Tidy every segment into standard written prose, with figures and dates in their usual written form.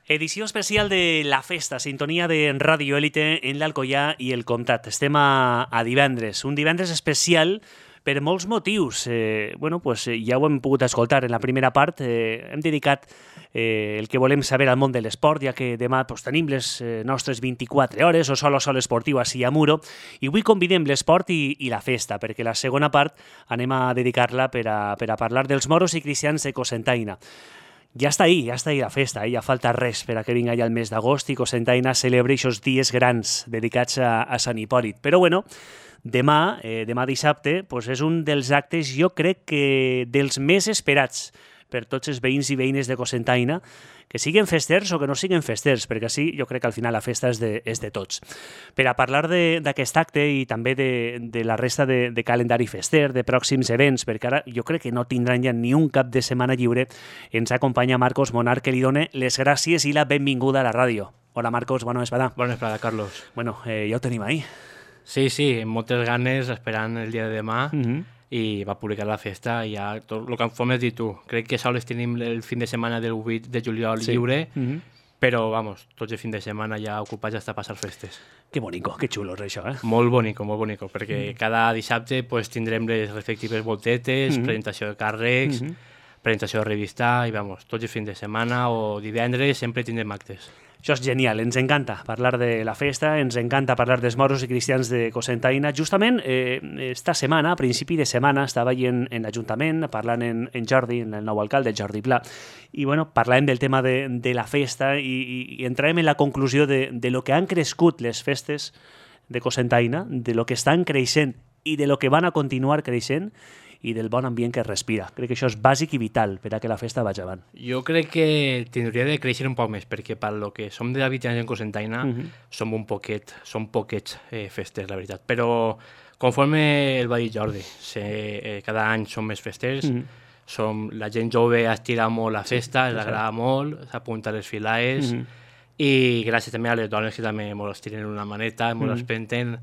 Edició especial de La Festa, sintonia de Ràdio Élite en l'Alcoià i el Comtat. Estem a divendres, un divendres especial per molts motius. Ja ho hem pogut escoltar en la primera part. Hem dedicat el que volem saber al món de l'esport, ja que demà tenim les nostres 24 hores o sol esportiu així a Muro, i avui convidem l'esport i la festa, perquè la segona part anem a dedicar-la per a parlar dels moros i cristians de Cocentaina. Ja està ahí la festa, ja falta res per a que vinga ja el mes d'agost i Cocentaina celebri aquests dies grans dedicats a Sant Hipòlit. Però demà dissabte, és un dels actes, jo crec que dels més esperats per tots els veïns i veïnes de Cocentaina, que siguin festers o que no siguin festers, perquè així jo crec que al final la festa és de tots. Per a parlar d'aquest acte i també de la resta de calendari fester, de pròxims events, perquè ara jo crec que no tindran ja ni un cap de setmana lliure, ens acompanya Marcos Monar, que li dona les gràcies i la benvinguda a la ràdio. Hola Marcos, bona vesprada. Bona vesprada, Carlos. Ja ho tenim ahí. Sí, amb moltes ganes, esperant el dia de demà, i va publicar la festa i ja tot el que em has dit tu. Crec que sols tenim el fin de setmana del 8 de juliol lliure, però, tots el fin de setmana ja ocupats hasta passar festes. Que bonico, que xulo és això, eh? Molt bonico, perquè cada dissabte tindrem les respectives voltetes, presentació de càrrecs, presentació de revista, i tots el fin de setmana o divendres sempre tindrem actes. Això és genial, ens encanta parlar de la festa, ens encanta parlar dels moros i cristians de Cocentaina. Justament, esta setmana, a principi de setmana, estava allà en l'Ajuntament parlant en Jordi, en el nou alcalde, Jordi Pla, i parlàvem del tema de la festa i entràvem en la conclusió de lo que han crescut les festes de Cocentaina, de lo que estan creixent i de lo que van a continuar creixent, i del bon ambient que es respira. Crec que això és bàsic i vital per a que la festa vagi avant. Jo crec que tindria de créixer un poc més, perquè per lo que som d'habitants en Cocentaina som poquets festers, la veritat. Però conforme el va dir Jordi, cada any som més festers, la gent jove estira molt la festa, els agrada molt, s'apunta a les filaes, i gràcies també a les dones que també molt es tiren una maneta, molt es penten,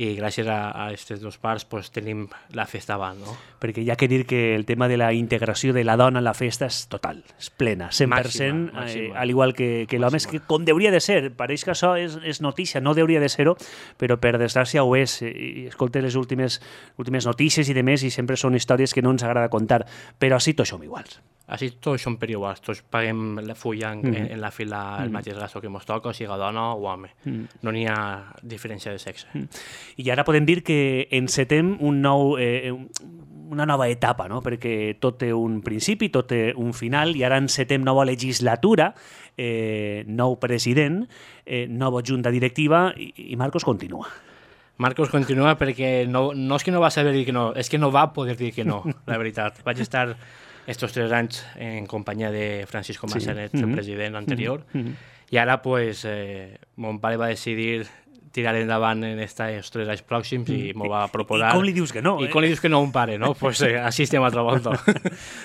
i gràcies a aquestes dues parts tenim la festa avant, no? Perquè hi ha que dir que el tema de la integració de la dona en la festa és total, és plena, 100%, màxima. Al igual que l'home, és que com hauria de ser. Pareix que això és notícia, no hauria de ser-ho, però per desgràcia ho és. I escolta les últimes notícies i demés, i sempre són històries que no ens agrada contar, però així tots som iguals. Així tots som per iguals, tots paguem la fulla en la fila el mateix gasto que ens toca, o sigui dona o home. No n'hi ha diferència de sexe. I ara podem dir que encetem una nova etapa, no? Perquè tot té un principi, tot té un final, i ara encetem nova legislatura, nou president, nova junta directiva, i Marcos continua. Marcos continua perquè no és que no va saber dir que no, és que no va poder dir que no, la veritat. Vaig estar estos 3 anys en companyia de Francisco Massanet, el president anterior, i ara mon pare va decidir tirar endavant en estos 3 anys pròxims i m'ho va proposar. I com li dius que no? I com li dius que no a un pare, no? Així estem altra volta.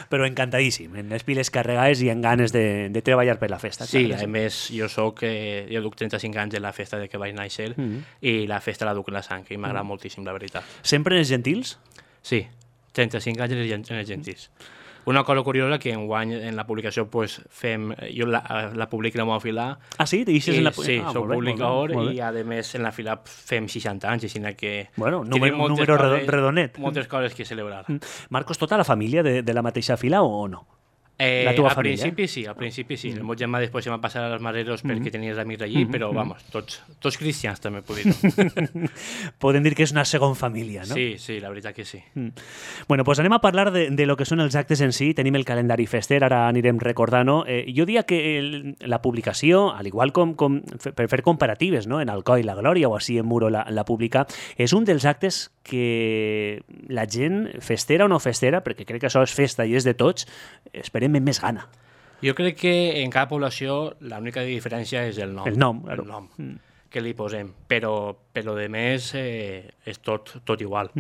Però encantadíssim, en les piles carregades i en ganes de treballar per la festa. Sí, a més, jo duc 35 anys de la festa de que vaig néixer i la festa la duc en la sang i m'agrada moltíssim, la veritat. Sempre en els gentils? Sí, 35 anys en els gentils. Una cosa curiosa que enguany en la publicació jo la publico en la meva fila. Ah, sí? Deixes en la... Sí, soc publicador i a més en la fila fem 60 anys, així que... Bueno, número redonet. Moltes coses que celebrar. Marcos, tota la família de la mateixa fila o no? La teva família? Al principi sí. El meu germà després se va passar als Mareros perquè tenia els amics allí, però tots cristians també puc dir. Podem dir que és una segona família, no? Sí, la veritat que sí. Bueno, doncs anem a parlar de lo que són els actes en si. Tenim el calendari fester, ara anirem recordant-ho. Jo diria que la publicació, al igual com per fer comparatives, no? En Alcoi la Glòria o així en Muro la publica, és un dels actes que la gent festera o no festera, perquè crec que això és festa i és de tots, esperem amb més gana. Jo crec que en cada població l'única diferència és el nom. El nom, claro. El nom que li posem, però de més és tot igual.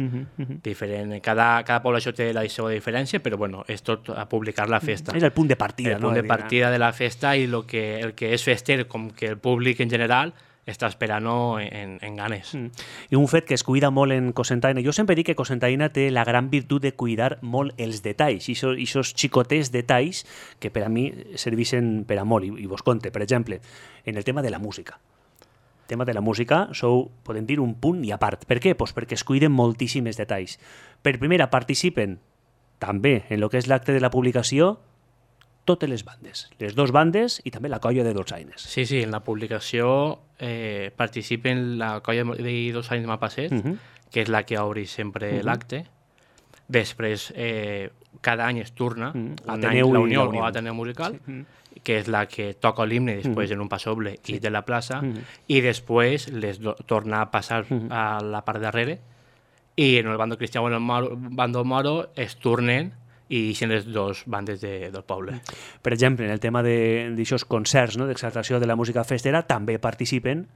Diferent. Cada població té la seva diferència, però és tot a publicar la festa. És el punt de partida. El punt de partida de la festa i el que és fester, com que el públic en general està esperant-ho en ganes. I un fet que es cuida molt en Cocentaina, jo sempre dic que Cocentaina té la gran virtut de cuidar molt els detalls, i aquests xicotets detalls que per a mi serveixen per a molt, i vos conte, per exemple, en el tema de la música. El tema de la música podem dir, un punt i a part. Per què? Pues perquè es cuiden moltíssims detalls. Per primera, participen també en el que és l'acte de la publicació totes les bandes, les dos bandes i també la colla de Dolçaines. Sí, en la publicació participen la colla de Dolçaines Malpasset, que és la que obri sempre l'acte. Després, cada any es torna la Unió o Ateneu Musical, que és la que toca l'himne després en un passoble i de la plaça, i després les torna a passar a la part darrere, i en el bando cristià o en el bando moro es tornen i deixen les dues bandes del poble. Per exemple, en el tema d'aixòs concerts, d'exaltació de la música festera, també participen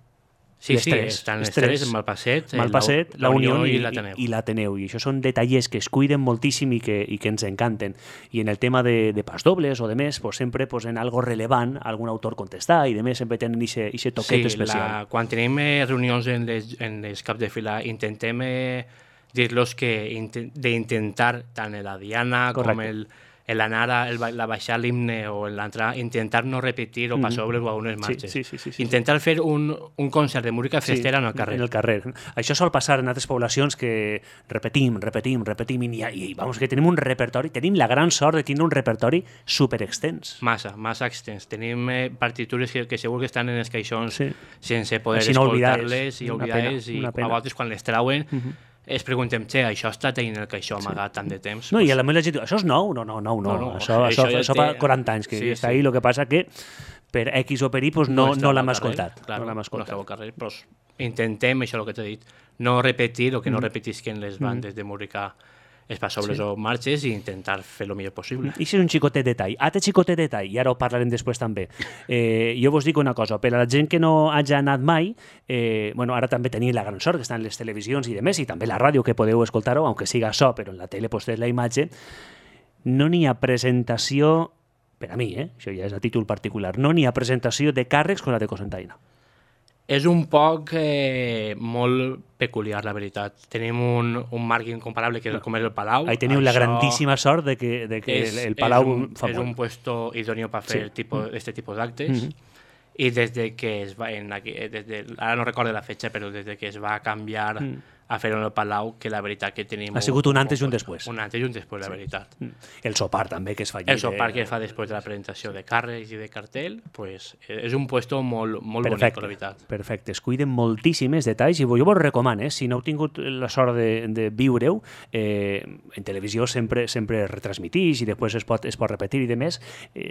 les tres. Estan les tres, Malpasset, la Unió i l'Ateneu. I l'Ateneu. I això són detallers que es cuiden moltíssim i que ens encanten. I en el tema de pas dobles o de més, pues, sempre posen algo rellevant, algun autor contestar, i de més sempre tenen aquest toquet especial. Quan tenim reunions en les caps de fila, intentem dir-los que d'intentar, tant la Diana com la Nara, la baixar l'himne o l'entrar, intentar no repetir o passobles o algunes marxes. Sí. Intentar fer un concert de música festera en el carrer. En el carrer. Això sol passar en altres poblacions que repetim, i vamos, que tenim un repertori, tenim la gran sort de tenir un repertori superextens. Massa extens. Tenim partitures que segur que estan en els caixons sense poder escoltar-les i oblidar-les, i a vegades quan les trauen es preguntem, això ha estat en el caixó amagat tant de temps. No, i a la meva gent diu, això és nou? No. Això fa 40 anys que està ahí, el que passa que per X o per Y no l'hem escoltat. No estava al carrer, però intentem, això el que t'he dit, no repetir o que no repetisquen les bandes de música els passobles o marxes i intentar fer el millor possible. I és un xicotet detall. Altre xicotet detall, i ara ho parlarem després també. Jo vos dic una cosa, per a la gent que no hagi anat mai, ara també teniu la gran sort que estan les televisions i demés, i també la ràdio que podeu escoltar-ho, aunque siga so, però en la tele pues, la imatge, no n'hi ha presentació, per a mi, això ja és a títol particular, no n'hi ha presentació de càrrecs com la de Cocentaina. És un poc molt peculiar, la veritat. Tenim un marc incomparable com és el Palau. Ahí teniu la grandíssima sort de que el Palau fa molt. És un puesto idóneo per fer este tipus d'actes. I des de que es va... Ara no recordo la fetxa, però des de que es va canviar a fer-ho en el Palau, que la veritat que tenim... Ha sigut un antes i un després. Un antes i un després, la veritat. El sopar també, que es fa allí. El sopar que es fa després de la presentació de càrrecs i de cartell, pues, és un puesto molt bonic, la veritat. Perfecte, es cuiden moltíssims detalls i jo vos recomano, si no heu tingut la sort de viure-ho, en televisió sempre retransmitís i després es pot repetir i de més,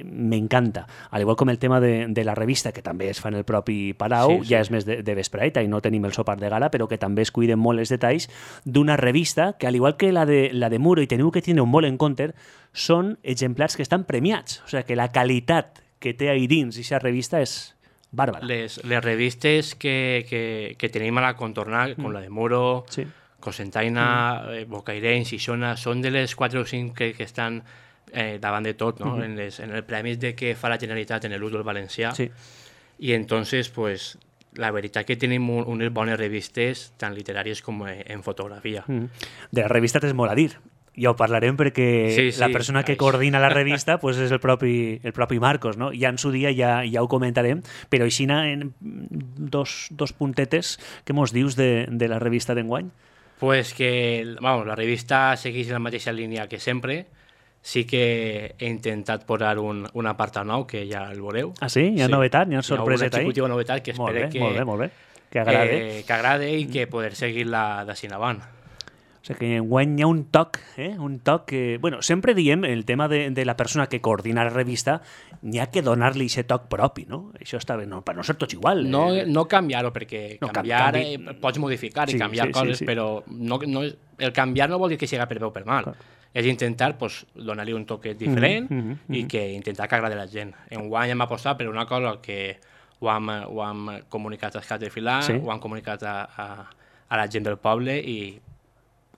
m'encanta. Al igual com el tema de la revista, que també es fa en el propi Palau, ja és més de vespreita i no tenim el sopar de gala, però que també es cuiden molt els detalls d'una revista que, al igual que la de Muro, i teniu que tenir molt en compte, són exemplars que estan premiats. O sigui, que la qualitat que té ahí dins aquesta revista és bàrbara. Les revistes que tenim a la contornar, com la de Muro, Cocentaina, Bocairent, Xixona, són de les 4 o 5 que estan davant de tot, no? En el premis de que fa la Generalitat en l'ús del valencià. I entonces, pues, la veritat que tenim unes bones revistes, tant literàries com en fotografia. De la revista tens molt a dir. Ja ho parlarem perquè la persona que coordina la revista pues és el propi Marcos, no? Ja en su dia ja ho comentarem, però així en dos puntetes, què mos dius de la revista d'enguany? Pues que la revista segueix la mateixa línia que sempre. Sí que he intentat posar un apartat nou, que ja el veureu. Ah, sí? Hi ha novetat? Hi ha sorpreset ahí? Hi ha una xicotiva novetat que espero molt bé. Que agrade. Que agrade i que poder seguir-la d'ací avant. O sigui que enguany hi ha un toc que... Bueno, sempre diem, el tema de la persona que coordina la revista, n'hi ha que donar-li aquest toc propi, no? Això està bé, per no ser tots igual. No canviar-ho, perquè canviar pots modificar i canviar coses, però el canviar no vol dir que sigui per bé o per mal. És intentar donar-li un toquet diferent i que intentar que agradi a la gent. Enguany hem apostat per una cosa que ho hem comunicat als caps de filar, ho hem comunicat a la gent del poble i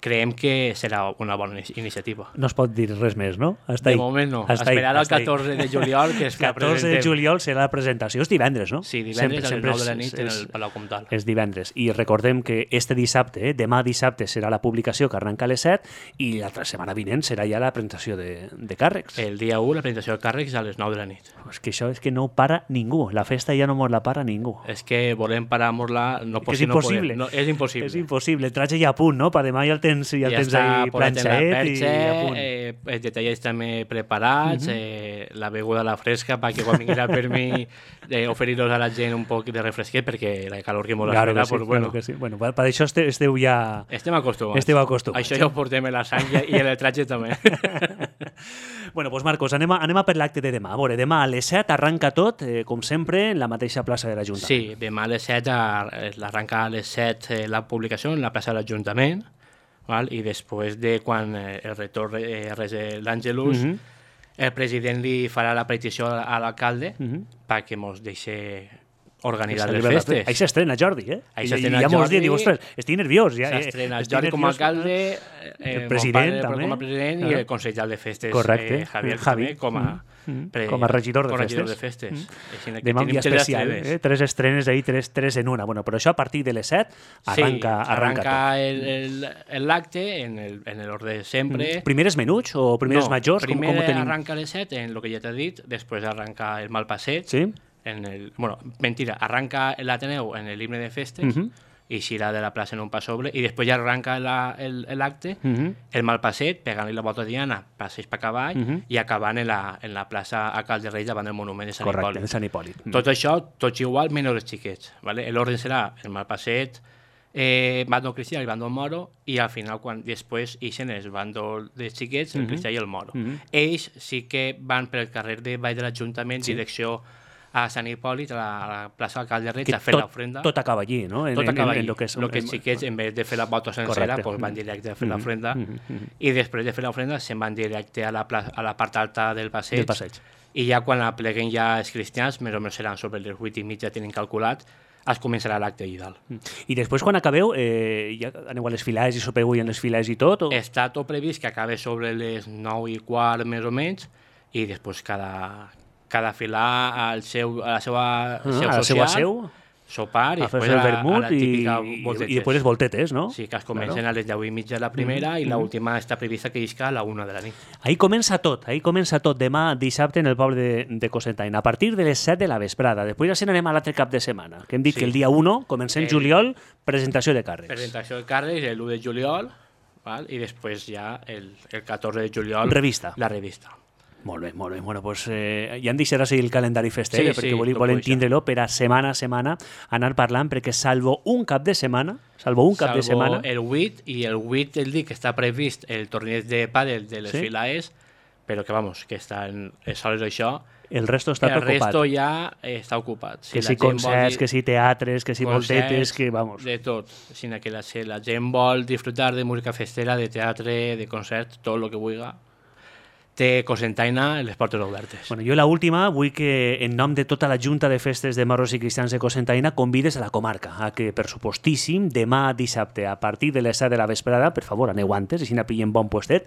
creiem que serà una bona iniciativa. No es pot dir res més, no? Hasta de moment no. Esperar el 14 de juliol, que és la 14 de juliol serà la presentació. És divendres, no? Sí, divendres a les 9 de la nit en el Palau Comtal. És divendres. I recordem que este dissabte, demà dissabte, serà la publicació que arrenca a les 7 i l'altra setmana vinent serà ja la presentació de càrrecs. El dia 1, la presentació de càrrecs a les 9 de la nit. És que això és que no para ningú. La festa ja no mos la para ningú. És que volem parar-nos-la, és impossible. No, és impossible. És impossible. El traje ja a punt, no? Per demà ja el tens ahí planxaet i a punt. Els detalls també preparats, la beguda a la fresca perquè quan vingui per mi oferir-los a la gent un poc de refresquet perquè la calor que molt espera, sí, bueno. Que sí. Bueno, per això esteu ja... Estem acostumats. Això ja ho portem en la sang i en el traje també. Bueno, doncs Marcos, anem a per l'acte de demà. A veure, demà a les 7 arranca tot, com sempre, en la mateixa plaça de l'Ajuntament. Sí, demà a les 7 l'arranca a les 7 la publicació en la plaça de l'Ajuntament, i després de quan el retorn l'Àngelus, el president li farà la petició a l'alcalde perquè mos deixi organitzar les festes. Ahí s'estrena Jordi, eh? Ahí s'estrena Jordi. Ja mos diu, ostres, estic nerviós. S'estrena Jordi com a alcalde, el president també. Com a president i el consellal de festes, Javi, com a regidor de festes. Demà un dia especial, tres estrenes ahí, tres en una. Bueno, però això a partir de les 7 arranca l'acte en l'ordre de sempre. Primeres menuts o primeres majors? Primer arranca a les 7 en el que ja t'he dit, després arranca el mal passeig. Sí. Mentira, arranca l'Ateneu en l'himne de festes i s'irà de la plaça en un pas sobre i després ja arranca l'acte, el mal passeig, pegant-li la volta diana, passeig per cavall i acabant en la plaça a Cal de Reis davant del monument de Sant Hipòlit. Correcte, de Sant Hipòlit. Tot això, tots igual, menys els xiquets. L'ordre serà el mal passeig, bàndol cristià i bàndol moro i al final, quan després ixen els bàndol dels xiquets, el cristià i el moro. Ells sí que van pel carrer de Vall de l'Ajuntament, direcció a Sant Hipòlit, a la plaça del Cal de Reig, a fer l'ofrenda. Tot acaba allí, no? Tot acaba allí. El que els xiquets, en vez de fer la volta sencera, van directe a fer l'ofrenda i després de fer l'ofrenda se'n van directe a la part alta del passeig. I ja quan apleguen ja els cristians, més o menys seran sobre les 8:30, tenen calculat, es començarà l'acte allà dalt. I després, quan acabeu, ja aneu a les filades i sopeu en les filades i tot? Està tot previst que acabe sobre les 9:15, més o menys, i després cada filar a la seva seu, sopar i després el vermut a la típica voltetes. I després les voltetes, no? Sí, que es comencen a les 10:30 la primera i l'última està prevista que isca a la 1 de la nit. Ahí comença tot demà dissabte en el poble de Cocentaina, a partir de les 7 de la vesprada. Després ja se n'anem a l'altre cap de setmana, que hem dit que el dia 1, comencem juliol, presentació de càrrecs. Presentació de càrrecs, l'1 de juliol, i després ja el 14 de juliol la revista. Molt bé. Bueno, doncs ja em deixarà seguir el calendari fester, perquè volem tindre-lo per a setmana a setmana anar parlant, perquè salvo un cap de setmana, el 8 i el 8 el dia que està previst el torneig de pàdel de les filades, però que està en sols això, el resto està ocupat. El resto ja està ocupat. Que si concerts, que si teatres, que si voltetes, que vamos. De tot. Sinó que la gent vol disfrutar de música festera, de teatre, de concerts, tot el que vulgui. Té Cocentaina les portes obertes. Bueno, jo l'última vull que en nom de tota la Junta de Festes de Marros i Cristians de Cocentaina convides a la comarca a que, per supostíssim, demà dissabte a partir de les 7 de la vesprada, per favor, aneu antes, així n'apillen bon puestet,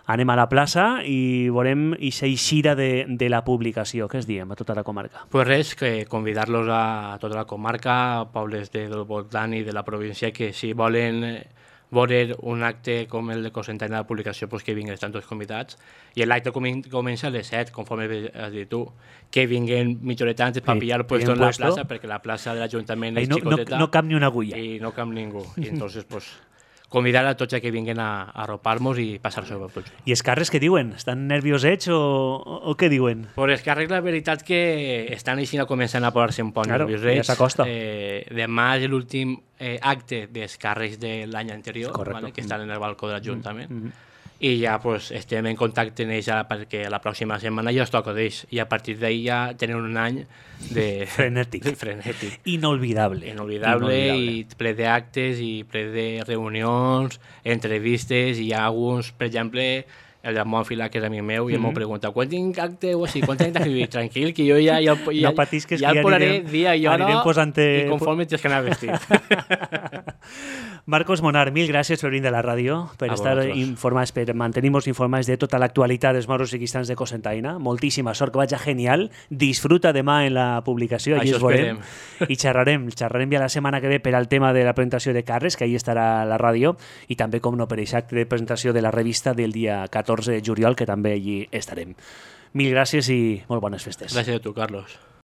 anem a la plaça i veurem aquesta eixida de la publicació. Què es diem a tota la comarca? Pues res, que convidar-los a tota la comarca, a pobles del voltant i de la província, que si volen veure un acte com el de Cocentaina de la publicació, pues que vinguin, estan tots convidats. I l'acte comença a les 7, conforme has dit tu, que vinguin mitja horeta antes per pillar puesto en la plaça, perquè la plaça de l'Ajuntament és xicoteta. No cap ni una agulla. I no cap ningú. I entonces, pues, convidar a tots a que vinguin a arropar-nos i passar-se per tots. I els càrrecs què diuen? Estan nerviosets o què diuen? Pues els càrrecs, la veritat que estan així començant a posar-se un poc nerviosets. Ja s'acosta. Demà és l'últim acte dels càrrecs de l'any anterior, que estan en el balcó de l'Ajuntament. I ja pues, estem en contacte amb ells perquè la pròxima setmana ja es toca d'ells i a partir d'ahir ja tenen un any de frenètic. Inolvidable i ple d'actes i ple de reunions, entrevistes, i hi ha alguns, per exemple, el Ramon Fila, que és amic meu, i m'ho pregunta, quan tinc acte o així, quan tinc d'escriure? Tranquil, que jo ja no patisques, ja el posaré dia i hora i conforme tens que anar vestit. Marcos Monar, mil gràcies per venir de la ràdio, per estar informats, per mantenir-nos informats de tota l'actualitat dels moros i cristans de Cocentaina. Moltíssima sort, que vagi genial. Disfruta demà en la publicació, allí es veurem. I xerrarem ja la setmana que ve per al tema de la presentació de Carles, que ahí estarà a la ràdio, i també, com no, per aquest acte de presentació de la revista del dia 14 de juliol, que també allí estarem. Mil gràcies i molt bones festes. Gràcies a tu, Carlos.